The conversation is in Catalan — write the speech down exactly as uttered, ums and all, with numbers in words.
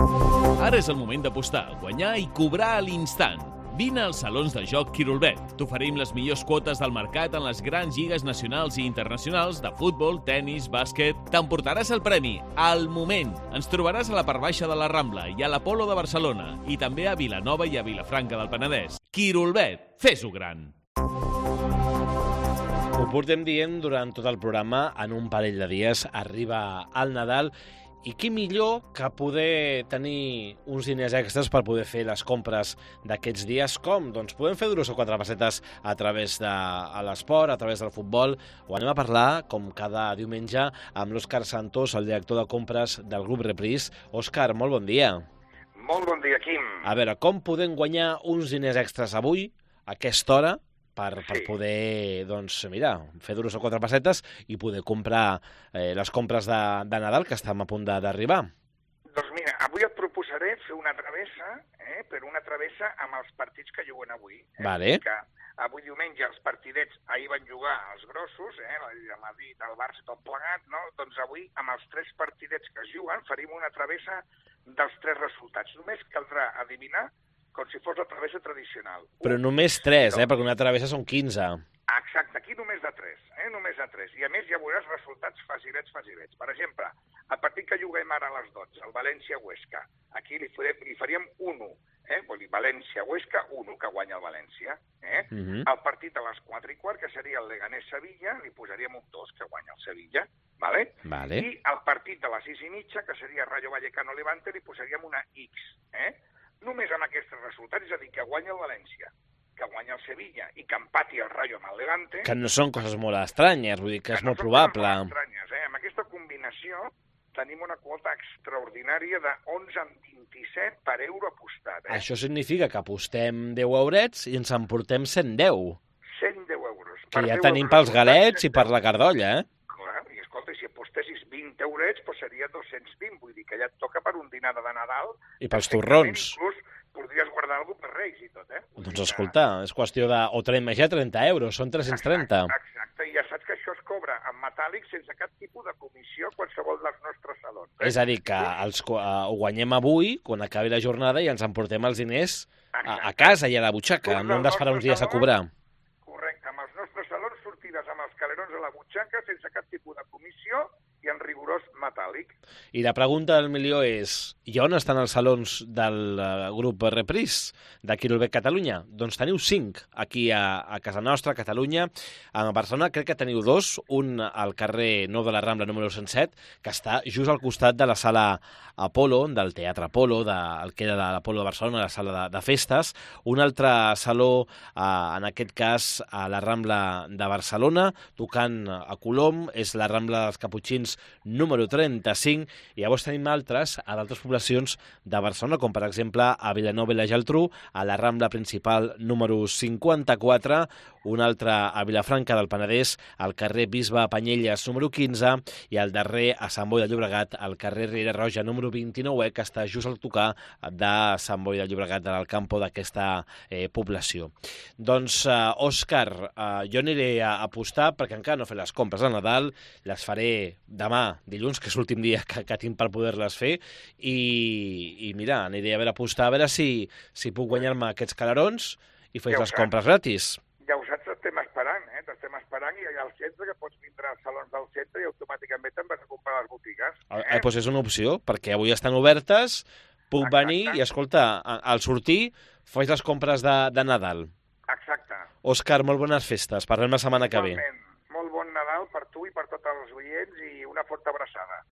Ara és el moment d'apostar, guanyar i cobrar a l'instant. Vine als salons de joc Quirolbet. T'oferim les millors quotes del mercat en les grans lligues nacionals i internacionals de futbol, tennis, bàsquet. T'emportaràs el premi al moment. Ens trobaràs a la part baixa de la Rambla i a l'Apolo de Barcelona i també a Vilanova i a Vilafranca del Penedès. Quirolbet, fes-ho gran. Ho portem dient durant tot el programa, en un parell de dies arriba el Nadal. I qui millor que poder tenir uns diners extras per poder fer les compres d'aquests dies. Com? Doncs podem fer dues o quatre pessetes a través de l'esport, a través del futbol. Ho anem a parlar, com cada diumenge, amb l'Òscar Santos, el director de compres del grup Reprise. Òscar, molt bon dia. Molt bon dia, Quim. A veure, com podem guanyar uns diners extras avui, a aquesta hora, per, per Sí. poder, doncs, mira, fer dues o quatre pessetes i poder comprar eh, les compres de, de Nadal que estem a punt de- d'arribar? Doncs mira, avui et proposaré fer una travessa, eh, però una travessa amb els partits que juguen avui. Eh? Vale. Que avui diumenge els partidets, ahir van jugar els grossos, eh, el Madrid, el Barça, tot plegat, no? Doncs avui, amb els tres partidets que es juguen, farim una travessa dels tres resultats. Només caldrà adivinar com si fos la travessa tradicional. Però Un, només tres, eh? dos. Perquè una travessa són quinze. Exacte, aquí només de tres, eh? només de tres. I a més ja veuràs resultats facilets, facilets. Per exemple, el partit que juguem ara a les dotze, el València-Huesca, aquí li, farem, li faríem un u, eh? Vol dir València-Huesca, un u, que guanya el València. Eh? Mhm. El partit a les quatre i quart, que seria el Leganés-Sevilla, li posaríem un dos, que guanya el Sevilla. Vale? Vale. I el partit de les sis i mitja, que seria Rayo Vallecano-Levante, li posaríem una X. Eh? Només amb aquests resultats, és a dir, que guanya el València, que guanya el Sevilla i que empati el Rayo amb el Levante... Que no són coses molt estranyes, vull dir que és no molt són probable. coses molt estranyes, eh? Amb aquesta combinació tenim una quota extraordinària de onze coma vint-i-set per euro apostat. Eh? Això significa que apostem deu eurets i ens emportem cent deu, cent deu euros. que Per ja deu tenim euros pels apostats, galets i cent per deu. la cardolla, eh? Clar, i escolta, si apostessis vint eurets, doncs seria dos-cents vint, vull dir que ja et toca per un dinar de Nadal. I pels Perfectament, torrons. Inclús podries guardar alguna cosa per Reis i tot, eh? Vull Doncs dir que- escolta, és qüestió de... O traiem ja trenta euros, són tres-cents trenta. Exacte, exacte, i ja saps que això es cobra en metàl·lic sense cap tipus de comissió a qualsevol dels nostres salons. Eh? És a dir, que els, uh, ho guanyem avui, quan acabi la jornada, i ens emportem els diners a, a casa i a la butxaca. No hem d'esperar uns dies a cobrar. Correcte, amb els nostres salons sortides amb els calerons a la butxaca sense cap tipus de comissió i en rigorós metàl·lic. I la pregunta del milió és, i on estan els salons del uh, grup Reprise de Quirolbet Catalunya? Doncs teniu cinc aquí a, a casa nostra, a Catalunya. A Barcelona crec que teniu dos, un al carrer Nou de la Rambla número cent set, que està just al costat de la sala Apolo, del Teatre Apolo, de, el que era de l'Apolo de Barcelona, la sala de, de festes. Un altre saló, eh, en aquest cas, a la Rambla de Barcelona, tocant a Colom, és la Rambla dels Caputxins número trenta-cinc, i llavors tenim altres a d'altres poblacions de Barcelona, com per exemple a Vilanova i la Geltrú, a la Rambla principal número cinquanta-quatre, un altre a Vilafranca del Penedès, al carrer Bisbe Panyelles número quinze, i el darrer a Sant Boi de Llobregat, al carrer Riera Roja número vint-i-nou, que està just al tocar de Sant Boi de Llobregat, del campo d'aquesta eh, població. Doncs, eh, Òscar, eh, jo aniré a apostar, perquè encara no he fet les compres de Nadal, les faré demà, dilluns, que és l'últim dia que, que tinc per poder-les fer, i, i mira, aniré a veure apostar, a veure si, si puc guanyar-me aquests calarons i fer Ja ho les saps. compres gratis. Ja ho saps, t'estem esperant, eh? T'estem esperant i allà al centre, que pots vindre als salons del centre i automàticament te'n vas a comprar a les botigues. Eh? Eh, doncs és una opció, perquè avui estan obertes, puc Exacte. venir i, escolta, a- al sortir faig les compres de, de Nadal. Exacte. Òscar, molt bones festes. Parlem la setmana que ve. Igualment. Molt bon Nadal per tu i per tots els oients i una forta abraçada.